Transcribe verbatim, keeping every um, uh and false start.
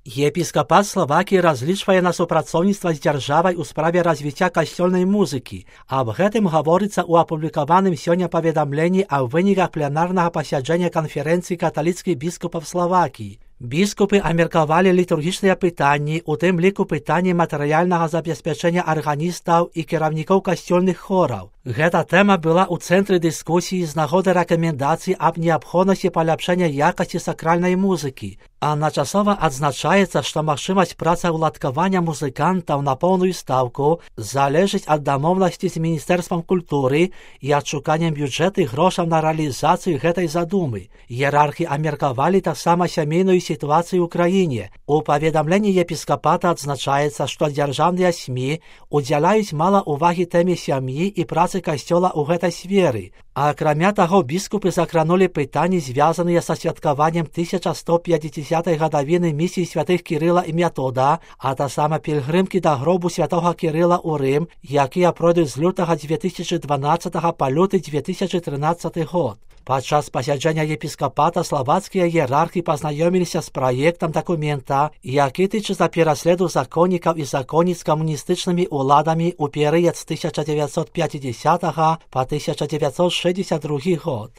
Епіскапат Славакіі разлічвае на супрацоўніцтва з дзяржавай у справе развіцця касцёльнай музыкі. Аб гэтым гаворыцца ў апублікаваным сёння паведамленні аб выніках пленарнага пасяджэння канферэнцыі каталіцкіх біскупаў Славакіі. Біскупы абмеркавалі літургічныя пытанні, у тым ліку пытанні матэрыяльнага забеспячэння арганістаў і кіраўнікоў касцёльных хораў. Гэта тэма была ў цэнтры дыскусіі з нагоды рэкамендацый аб неабходнасці паляпшэння якасці сакральнай музыкі. Адначасова адзначаецца, што магчымасць працаўладкавання музыкантаў на поўную стаўку залежыць ад дамоўнасці з міністэрствам культуры і адшуканнем бюджэты грошаў на рэалізацыю гэтай задумы. Іерархі абмеркавалі таксама сямейную сітуацыю ў краіне. У паведамленні епіскапата адзначаецца, што дзяржаўныя СМІ удзяляюць мала ўвагі тэме сям'і і працы касцёла ў гэтай сферы. А акрамя таго, біскупы закранулі пытанні, звязаныя са святкаваннем тысяча сто пятидесятой гадавіны місіі святых Кірыла і Метода, а таксама пільгрымкі да гробу святога Кірыла ў Рым, якія пройдуць з лютага две тысячи дванаццатага па люты две тысячи трынаццаты год. Падчас пасяджэння епіскапата славацкія іерархі пазнаёміліся з праектам дакумента, які тычыцца пераследу законнікаў і законніц камуністычнымі ўладамі ў перыяд з тысяча дзевяцьсот пятидесятого па тысяча дзевяцьсот шэсцьдзесят другі год.